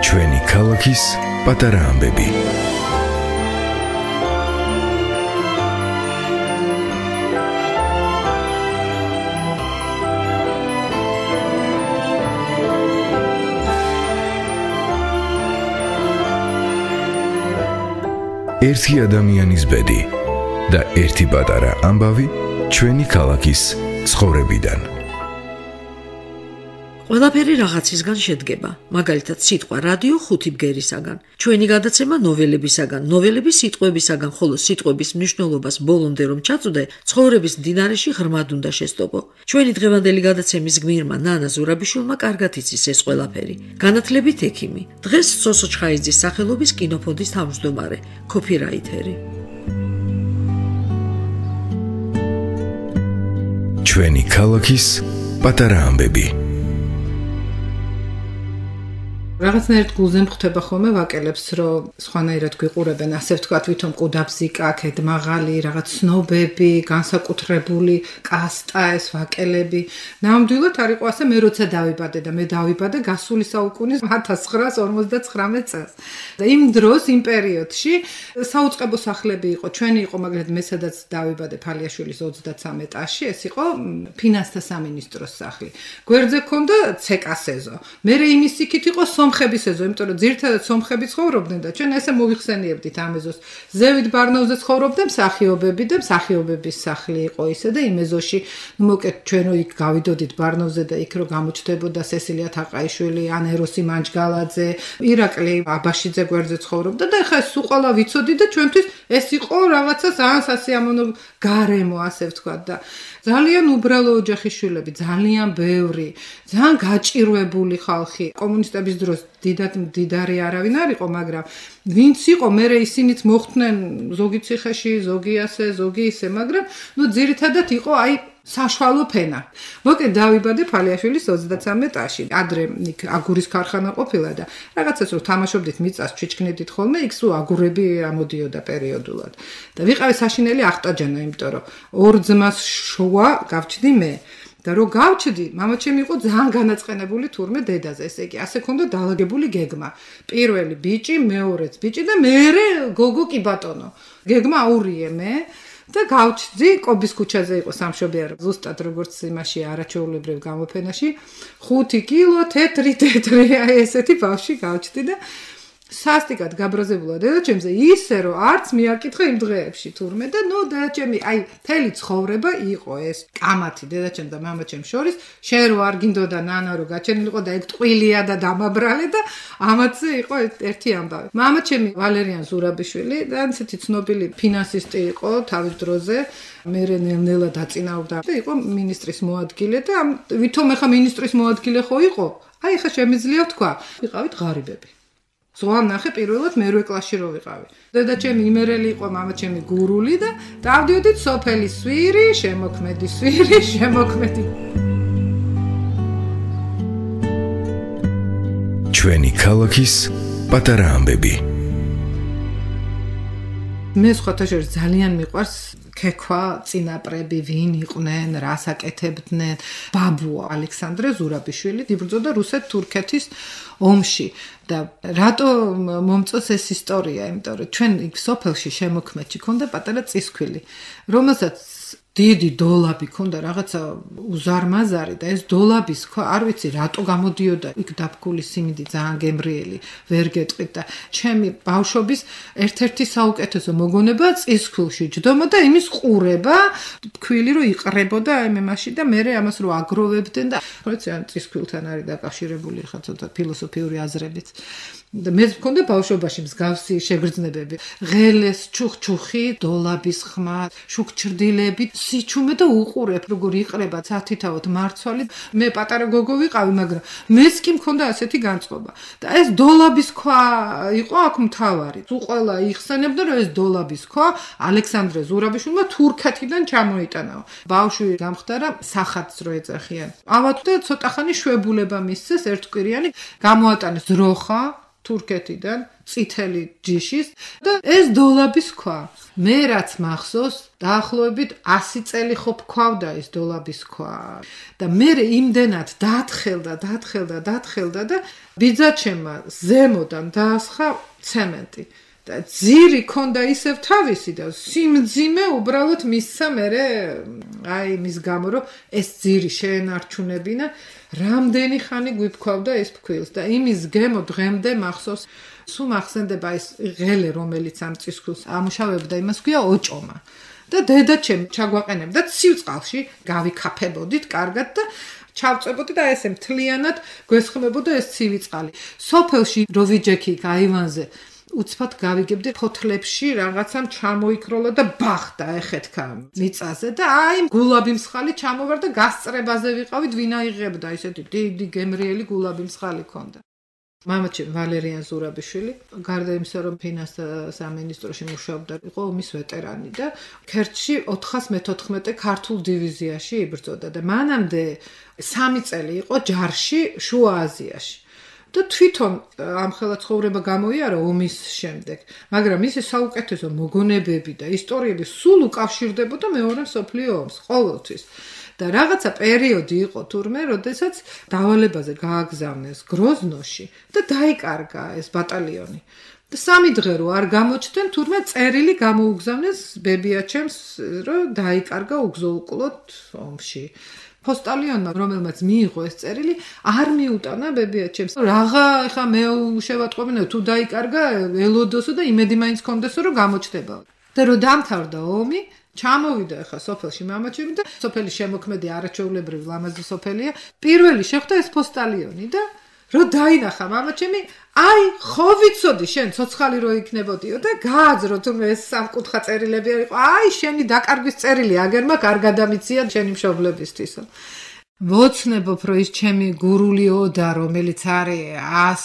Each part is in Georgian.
ჩვენი ქალაქის პატარა ამბები. ერთი ადამიანის ბედი და ერთი პატარა ამბავი ჩვენი ქალაქის ცხოვრებიდან. ყველაფერი რაღაცისგან შედგება, მაგალითად სიტყვა რადიო 5 ბგერისაგან, ჩვენი გადაცემა ნოველებისაგან, ნოველები სიტყვებისაგან, ხოლო სიტყვების მნიშვნელობას ბოლომდე რომ ჩაწვდე, ცხოვრების მდინარეში ღრმად უნდა შესტოპო. ჩვენი დღევანდელი გადაცემის გმირმა ნანა ზურაბიშვილმა კარგად იცის ეს ყველაფერი. განათლებით ექიმი, დღეს სოსო ჩხაიძის სახელობის კინოფონდის თავმჯდომარე, კოპირაითერი. ჩვენი ქალაქის პატარა ამბები. რაღაცნაირად გულზე მხვდება ხოლმე ვაკელებს, რომ სხვანაირად გვიყურებენ, ასე ვთქვათ, ვითომ ყუდაბზიკა, ქედმაღალი, რაღაც ცნობები, განსაკუთრებული კასტა ეს ვაკელები. ნამდვილად არ იყო ასე, მე როცა დავიბადე და მე დავიბადე გასული საუკუნის 1959 წელს. და იმ დროს, იმ პერიოდში საუწყებო სახლები იყო, ჩვენი იყო, მაგრამ მე სადაც დავიბადე ფალიაშვილის 33 ეტაჟში, ეს იყო ფინანსთა სამინისტროს სახლი. გვერდზე ჰქონდა ცეკასეზო. მე იმის იქით იყო სომხების ეზო, იმიტომ რომ ძირითადად სომხები ცხოვრობდნენ და ჩვენ ესე მოვიხსენიებდით ამ ეზოს. ზევით ბარნოვზე ცხოვრობდნენ მსახიობები და მსახიობების სახლი იყო ისე და იმ ეზოში, მოკლედ ჩვენ იქ გავიდოდით ბარნოვზე და იქ რო გამოჩნდებოდა სესილია თაყაიშვილი, ანეროსი მანჯგალაძე, ირაკლი აბაშიძე გვერდზე ცხოვრობდა და ეხლა ეს უყალა ვიცოდი და ჩვენთვის ეს იყო რაღაცა ძალიან სასიამოვნო გარემო, ასე ვთქვათ და ძალიან უბრალო ოჯახის შვილები, ძალიან ბევრი, ძალიან გაჭირვებული ხალხი. კომუნისტების დროს დიდად მდიდარი არავინ არ იყო, მაგრამ ვინც იყო, მე ისინიც მოხვდნენ ზოგი ციხეში, ზოგი ასე, ზოგი ისე, მაგრამ ძირითადად იყო აი საშუალო ფენა. მოკლედ დავიბადე ფალიაშვილის 33 ეტაჟში. ადრე იქ აგურის ქარხანა ყოფილა და რაღაცას რო თამაშობდით მიწას, ჩიჩქნედით ხოლმე, იქ სულ აგურები ამოდიოდა პერიოდულად. და ვიყავი საშინელი ახტაჯანა, იმიტომ რომ ორ ძმას შოა გავჩდი მე. და რო გავჩდი, მამაჩემი იყო ძალიან განაწყენებული თურმე დედაზე, ესე იგი, ასე ქონდა დაალაგებული გეგმა. პირველი ბიჭი, მეორეც ბიჭი და მერე გოგო კი ბატონო. გეგმა აურიე მე. და გავჩდი, კობის ქუჩაზე იყო სამშობიარო, ზუსტად როგორც იმაში არაჩვეულებრივ გამოფენაში, 5 კილო თეთრი, აი ესეთი ბავშვი გავჩდი და სასტიკად გაბრაზებულა დედაჩემზე ისე რომ არც მიაკითხა იმ დღეებში თურმე და დედაჩემი აი მთელი ცხოვრება იყო ეს კამათი დედაჩემ და მამაჩემ შორის შენ რო არ გინდოდა ნანა რო გაჩენილიყო და ეგ ტყუილია და დამაბრალე და ამათზე იყო ერთი ამბავი. მამაჩემი ვალერიან ზურაბიშვილი და ისეთი ცნობილი ფინანსისტი იყო თავის დროზე, მერე ნელ-ნელა დაწინაურდა და იყო მინისტრის მოადგილე და ვითომ ეხა მინისტრის მოადგილე ხო იყო? აი ხა შემიძლია თქვა, ვიყავით ღარიბები. ზღვამ ნახე პირველად მერვე კლასში რო ვიყავი. დედაჩემი იმერელი იყო, მამაჩემი გურული და დავდიოდით სოფელი სვირი, შემოქმედი სვირი, შემოქმედი. ჩვენი ქალაქის პატარა ამბები. მე სხვათა შორის ძალიან მიყვარს ქექვა, წინაპრები, ვინ იყვნენ, რას აკეთებდნენ. ბაბუა ალექსანდრე ზურაბიშვილი იბრძოდა რუსეთ-თურქეთის ომში და რატო მომწონს ეს ისტორია, იმიტომ რომ ჩვენ იქ სოფელში შემოქმედში ქონდა პატარა წისქვილი, რომელსაც დიდი დოლაბი ქონდა რაღაცა უზარმაზარი და ეს დოლაბის ქვა არ ვიცი რატო გამოდიოდა იქ დაფქული სიმინდი ძალიან გემრიელი ვერ გეტყვით და ჩემი ბავშვობის ერთ-ერთი საუკეთესო მოგონება წისქვილში ჯდომა და იმის ყურება თქვილი რომ იყრებოდა აი მემაში და მე ამას რო აგროვებდნენ და ვიცი ან წისქვილთან არის დაკავშირებული ხა ცოტა ფილოსოფიური აზრებით და მე მქონდა ბავშვობაში მსგავსი შეგრძნებები ღელეს ჩუხჩუხი დოლაბის ხმა შუქჩრდილები სიჩუმე და უყურებ როგორ იყრება სათითაოდ მარცვალი მე პატარა გოგო ვიყავი მაგრამ მეც კი მქონდა ასეთი განწყობა და ეს დოლაბის ქვა იყო აქ მთავარი თუ ყველა იხსენებდა რომ ეს დოლაბის ქვა ალექსანდრე ზურაბიშვილმა თურქეთიდან ჩამოიტანაო ბავშვი გამხდარა სახათს რო ეძახიან ავად და ცოტა ხანი შვებულება მისცეს ერთკვირიანი გამოატანეს ძროხა თურქეთიდან წითელი ჯიშის და ეს დოლაბის ქვა. მე რაც მახსოვს, დაახლოებით 100 წელი ხო ფქვავდა ეს დოლაბის ქვა. და მე იმდენად დათხელდა და ბიძაჩემმა ზემოდან დაასხა ცემენტი. და ძირი ქონდა ისევ თავისი და სიმძიმე უბრალოდ მისცა მე მის გამო რომ ეს ძირი შეენარჩუნებინა რამდენი ხანი გვიფქვავდა ეს ფქვილს და იმის გემო დღემდე მახსოვს სულ მახსენდება ეს ღელე რომელიც ამ წისქვილს ამუშავებდა იმას ქვია ოჭომა და დედაჩემ ჩაგვაყენებდა ცივწყალში გავიქაფებოდით კარგად და ჩავწებოდი და ესე მთლიანად გვესხმებოდა ეს ცივი წყალი სოფელში რო ვიჯექი აივანზე უცბად გავიგებდი ფოთლებში რაღაცამ ჩამოიქროლა და ბახდა ეხეთქა მიწაზე და აი გულაბი მსხალი ჩამოვარ და გასწრებაზე ვიყავით ვინ აიღებდა ესეთი დიდი გემრიელი გულაბი მსხალი ქონდა მამაჩემ ვალერიან ზურაბიშვილი გარდა იმისა რომ ფინანსთა სამინისტროში მუშაობდა იყო ომის ვეტერანი და ქერჩში 414 ქართულ დივიზიაში იბრძოდა და მანამდე 3 წელი იყო ჯარში შუა აზიაში და თვითონ ამხელა ცხოვრება გამოიარა ომის შემდეგ, მაგრამ მისი საუკეთესო მოგონებები და ისტორიები სულ უკავშირდებოდა მეორე მსოფლიო ომს ყოველთვის. და რაღაცა პერიოდი იყო თურმე, როდესაც დავალებაზე გააგზავნეს გროზნოში და დაიკარგა ეს ბატალიონი. და 3 დღე რო არ გამოჩდნენ, თურმე წერილი გამოუგზავნეს ბებიაჩემს, რომ დაიკარგა უგზოუკვლოდ ომში. პოსტალიონმა რომელმაც მიიღო ეს წერილი არ მიუტანა ბებიაჩემს რაღა ეხა მე შევატყობინა თუ დაიკარგა ელოდოსო და იმედი მაინც კონდესო რომ გამოჩნდება და რო დამთავრდა ომი ჩამოვიდა ეხა სოფელში მამაჩემი და სოფელი შემოქმედი არაჩვეულებრივი ლამაზი სოფელია პირველი შეხვდა ეს პოსტალიონი და რო დაინახა მამაჩემი აი ხო ვიცოდი შენ ცოცხალი რო იქნებოდიო და გააძრო თუმე ეს სამკუთხა წერილები არისო აი შენი დაკარგვის წერილი აგერმა არ გადამიცია შენი მშობლებისთვისო მოცნებობ რომ ის ჩემი გურული ოდა რომელიც არის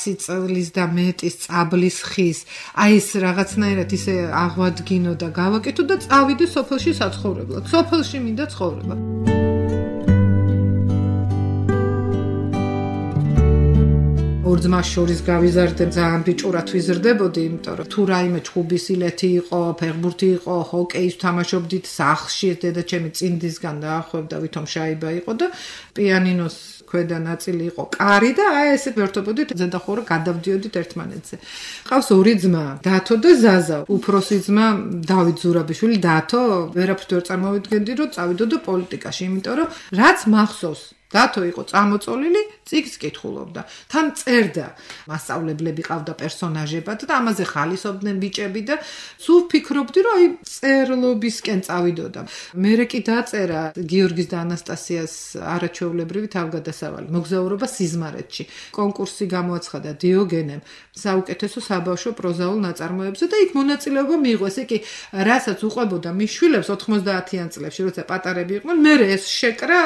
100 წლის და მეტის წაბლის ხის აი ეს რაღაცნაირად ისე აღვადგინო და გავაკეთო და წავიდე სოფელში საცხოვრებლად სოფელში მინდა ცხოვრება ორ ძმას შორის გავიზარდე ძალიან ბიჭურად ვიზრდებოდი იმიტომ რომ თუ რაიმე ჩხუბის ილეთი იყო ფეხბურთი იყო ჰოკეის თამაშობდით სახლში დედაჩემი წინდისგან დაახვევდა ვითომ შაიბა იყო და პიანინოს ქვედა ნაწილი იყო კარი და აი ესე ვერთობოდით ზედახურა გადავდიოდით ერთმანეთზე ყავს ორი ძმა დათო და ზაზა უფროსი ძმა დავით ზურაბიშვილი დათო ვერაფრით ვერ წარმოვიდგენდი რომ წავიდოდო პოლიტიკაში იმიტომ რომ რაც მახსოვს დათო იყო წამოწოლილი, წიგნს კითხულობდა. თან წერდა, მასწავლებლები ყავდა პერსონაჟებად და ამაზე ხალისობდნენ ბიჭები და სულ ფიქრობდი, რომ აი წერლობისკენ წავიდოდა. მერე კი დაწერა გიორგის და ანასტასიას არაჩვეულებრივი თავგადასავალი, მოგზაურობა სიზმარეთში. კონკურსი გამოაცხადა დიოგენემ საუკეთესო საბავშვო პროზაულ ნაწარმოებზე და იქ მონაწილეობა მიიღო. ესე კი, რასაც უყვებოდა მის შვილებს 90-იან წლებში, როცა პატარები იყვნენ, მერე ეს შეკრა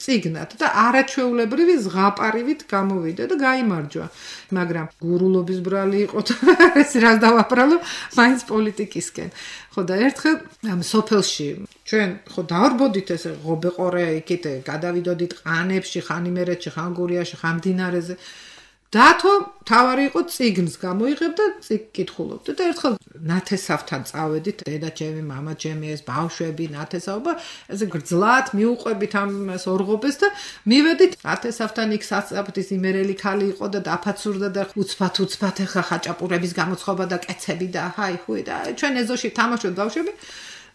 წიგნად და არაჩვეულებრივი ზღაპარივით გამოვიდა და გაიმარჯვა. მაგრამ გურულობის ბრალი იყო და ეს რას დავაბრალო მაინც პოლიტიკისკენ. ხო და ერთხელ ამ სოფელში ჩვენ ხო დავრბოდით ესე ღობეყორე იქით გადავიდოდით ყანებში, ხან იმერეთში, ხან გურიაში, ხან მდინარეზე. დათო თავარი იყო წიგნს გამოიღებდა წიგნ კითხულობდა და ერთხელ ნათესავთან წავედით დედაჩემი, მამაჩემი, ეს ბავშვები ნათესაობა ესე გრძლად მიუყვებით ამას ორღობეს და მივედით ნათესავთან იქ სასწრაფის იმერელი ქალი იყო და დაფაცურდა და უცბად ეხა ხაჭაპურების გამოცხობა და კეცები და ჰაი ხუი და ჩვენ ეზოში თამაშობ ბავშვები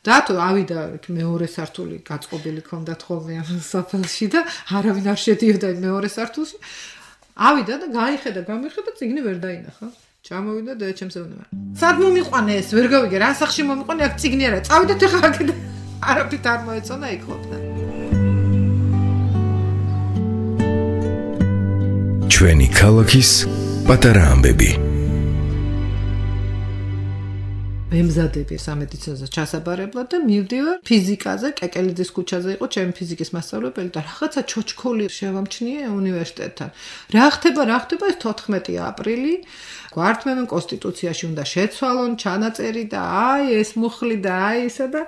დათო ავიდა მეორე სართული გაწყობილი ქონდათ ხოლმე ამ სოფელში და არავინ არ შედიოდა მეორე სართულში ავიდა და გაიხედა, გამიხედა, წიგნი ვერ დაინახა. ჩამოვიდა და ჩემს ეუბნება. სად მომიყვანე ეს? ვერ გავიგე, რა სახში მომიყვანე, აქ წიგნი არა. წავიდეთ ახლა აქ და არაფრით არ მოეწონა იქ ყოფნა. ჩვენი ქალაქის პატარა ამბები. მემზადები სამედიცინოზე ჩასაბარებლად და მივდივარ ფიზიკაზე, კეკელიძის ქუჩაზე იყო ჩემი ფიზიკის მასწავლებელი და რაღაცა ჩოჩქოლი შევამჩნიე უნივერსიტეტთან. რა ხდება ეს 14 აპრილი გვართმევენ კონსტიტუციაში უნდა შეცვალონ ჩანაწერი და აი ეს მუხლი და აი ისა და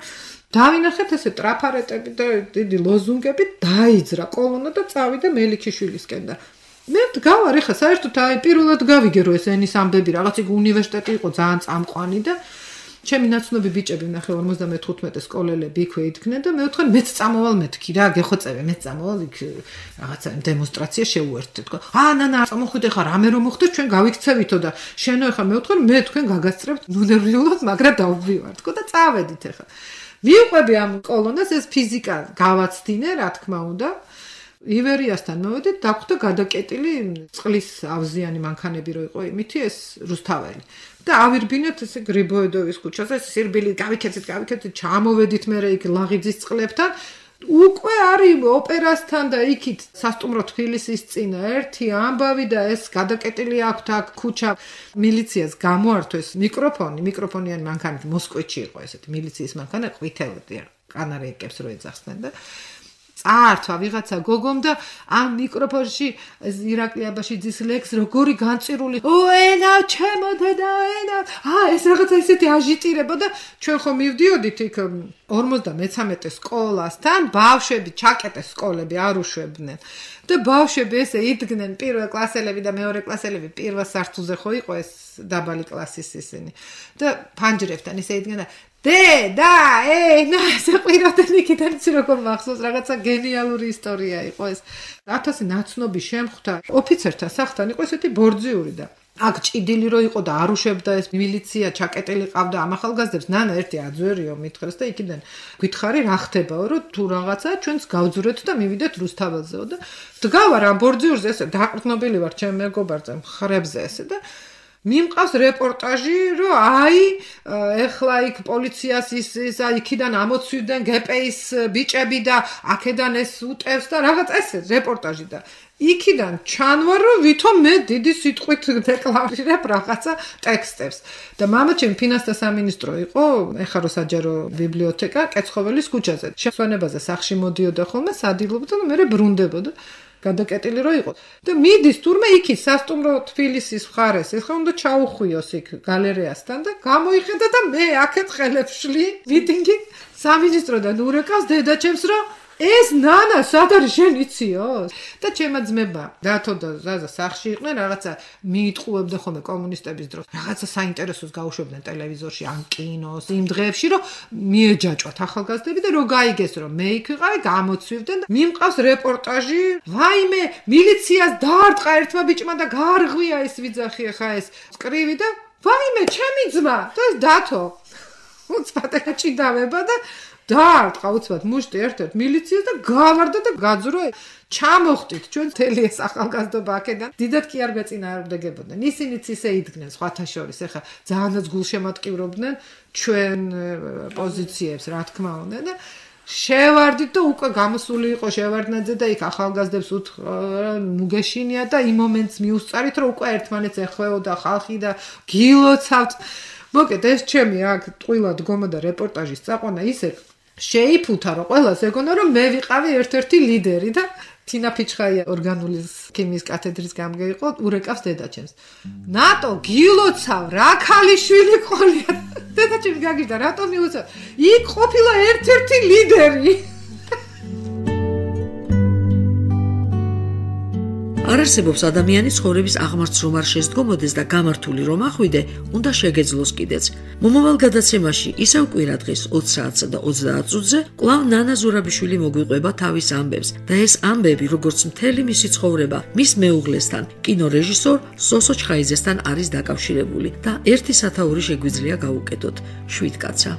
დავინახეთ ესე ტრაფარეტები და დიდი ლოზუნგები დაიძრა კოლონა და წავიდა მელიქიშვილისკენ და მე გავარ ეხა საერთოდ აი პირველად გავიგე რომ ეს ენის ამბები რაღაც იქ უნივერსიტეტი იყო ძალიან წამყვანი და ჩემი ნაცნობი ბიჭები ნახე 55 სკოლელები იქვე იდგნენ და მე ვთქვი მეც წამოვალ მეთქი რა გეხოცები მეც წამოვალ იქ რაღაცა დემონსტრაცია შეუერთდეთ თქო ნანა წამოხვიდე ხა რამე რომ მოხდეს ჩვენ გავიქცევითო და შენო ეხა მე ვთქვი მე თქვენ გაგასწრებთ ნუნერვიულად მაგრამ დავვივარ თქო და წავედით ეხა მივყვები ამ კოლონას ეს ფიზიკა გავაცდინე რა თქმა უნდა ივერიასთან მოვედით დაგვხვდა გადაკეტილი წყლის ავზიანი მანქანები რო იყო იმითი ეს რუსთაველი და ავირბინეთ ესე გრიბოედოვის ქუჩაზე სირბილი გავიქეცით ჩამოვედით მე იქ ლაღიძის წყლებთან უკვე არის ოპერასთან და იქით სასტუმრო თბილისის წინა ერთი ამბავი და ეს გადაკეტილი აქვთ აქ ქუჩა მილიციას გამოართვეს მიკროფონიანი მანქანით მოსკოვში იყო ესეთი მილიციის მანქანა ყვითელია კანარეიკებს რო ეძახდნენ და წაართვა ვიღაცა გოგომ და ამ მიკროფონში ირაკლი აბაშიძის ლექს როგორი განწირული ენა ჩემო დედა ენა ეს რაღაცა ისეთი აჟიტირება და ჩვენ ხომ მივდიოდით იქ 53 სკოლასთან ბავშვები ჩაკეტეს სკოლები არ უშვებდნენ და ბავშვები ესე იდგნენ პირველ კლასელები და მეორე კლასელები პირველ სართულზე ხო იყო ეს დაბალი კლასის ისინი და ფანჯრებთან ისე იდგნენ და ენა ესე ყვიროდნენ იქიდან იცი როგორ მახსოვს რაღაცა გენიალური ისტორია იყო ეს 1000 ნაცნობი შემხვდა ოფიცერთა სახლთან იყო ესეთი ბორძიური და აქ ჭიდილი რო იყო და არ უშვებდა ეს მილიცია ჩაკეტილი ყავდა ამ ახალგაზრდებს ნანა ერთი აძვერიო მითხრეს და იქიდან გითხარი რა ხდებაო რომ თუ რაღაცა ჩვენს გავძურეთ და მივიდეთ რუსთაველზეო და დგავარ ამ ბორძიურზე ესე დაყრდნობილი ვარ ჩემ მეგობარზე მხრებზე ესე და მიმყავს რეპორტაჟი რომ აი ეხლა იქ პოლიციას ის იქიდან ამოცვიდნენ გპ-ის ბიჭები და აქედან ეს უტევს და რაღაც ესე რეპორტაჟი და იქიდან ჩანვარ რომ ვითომ მე დიდი სიტყვით დეკლარირებ რაღაცა ტექსტებს და მამაჩემ ფინანსთა სამინისტრო იყო ეხლა რო საჯარო ბიბლიოთეკა კეცხოველის ქუჩაზე შესვენებაზე სახში მოდიოდა ხოლმე სადილობდა და მე ბრუნდებოდა გადაკეტილი რო იყო და მიდის თურმე იქი სასტუმრო თბილისის მხარეს ეხლა უნდა ჩაუხვიოს იქ გალერეასთან და გამოიხედა და მე აქეთ ხელებს შლი მიტინგი სამინისტროდან ურეკავს დედაჩემს რომ ეს ნანა სად არის შენ იციო და ჩემა ძმება დათო და ზაზა სახში იყვნენ რაღაცა მიიტყუებდა ხოლმე კომუნისტების დროს რაღაცა საინტერესოს გაუშვებდნენ ტელევიზორში ან კინოს იმ დღეებში რომ მიეჯაჭვათ ახალგაზრდები და რო გაიგეს რომ მე იქ ვიყავი გამოცვივდნენ და მიმყავს რეპორტაჟი ვაიმე მილიციას დაარტყა ერთმა ბიჭმა და გარღვია ეს ვიძახი ხა ეს წკრივი და ვაიმე ჩემი ძმა და ეს დათო უცბად ჭიდავება და დაარტყა უცბად მუშტი ერთ-ერთ მილიციას და გავარდა და გაძრო ჩამოხტით ჩვენ თელი ეს ახალგაზრდობა აქედან დიდად კი არ გეწინააღმდეგებოდნენ ისინიც ისე იდგნენ სხვათა შორის ეხა ძალიანაც გულშემატკივრობდნენ ჩვენ პოზიციებს რა თქმა უნდა და შევარდით და უკვე გამოსული იყო შევარდნაძე და იქ ახალგაზრდებს ნუ გეშინია და იმ მომენტს მიუსწარით რომ უკვე ერთმანეთს ეხვეოდა ხალხი და გილოცავთ მოკეთ ეს ჩემი აქ ტყუილად გომა და რეპორტაჟის წაყვანა ისე შეიფუთა რომ ყველას ეგონა რომ მე ვიყავი ერთ-ერთი ლიდერი და თინა ფიჩხაია ორგანული ქიმიის კათედრის გამგე იყო ურეკავს დედაჩემს ნატო გილოცავ რა ქალიშვილი ყოლია დედაჩემს გაგიჟდა რატომ მიუცავ იქ ყოფილა ერთ-ერთი ლიდერი არ არსებობს ადამიანის ცხოვრების აღმართს რომ არ შესდგომოდეს და გამართული რომ ახვიდე, უნდა შეგეძლოს კიდეც. მომავალ გადაცემაში ისევ კვირა დღეს 20 საათსა და 30 წუთზე კვლავ ნანა ზურაბიშვილი მოგვიყვება თავის ამბებს და ეს ამბები როგორც მთელი მისი ცხოვრება მის მეუღლესთან, კინორეჟისორ სოსო ჩხაიძესთან არის დაკავშირებული და ერთი სათაური შეგვიძლია გავუკეთოთ. 7 კაცა.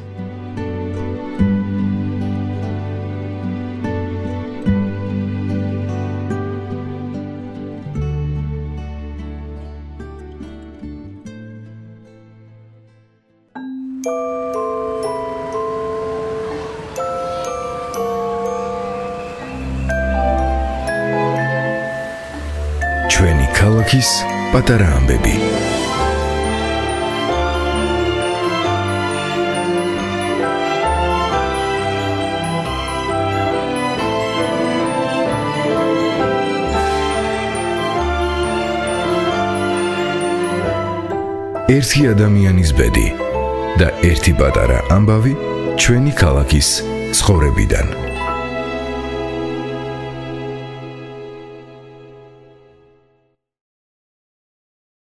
ჩვენი ქალაქის პატარა ამბები. ერთი ადამიანის ბედი და ერთი პატარა ამბავი ჩვენი ქალაქის ცხოვრებიდან.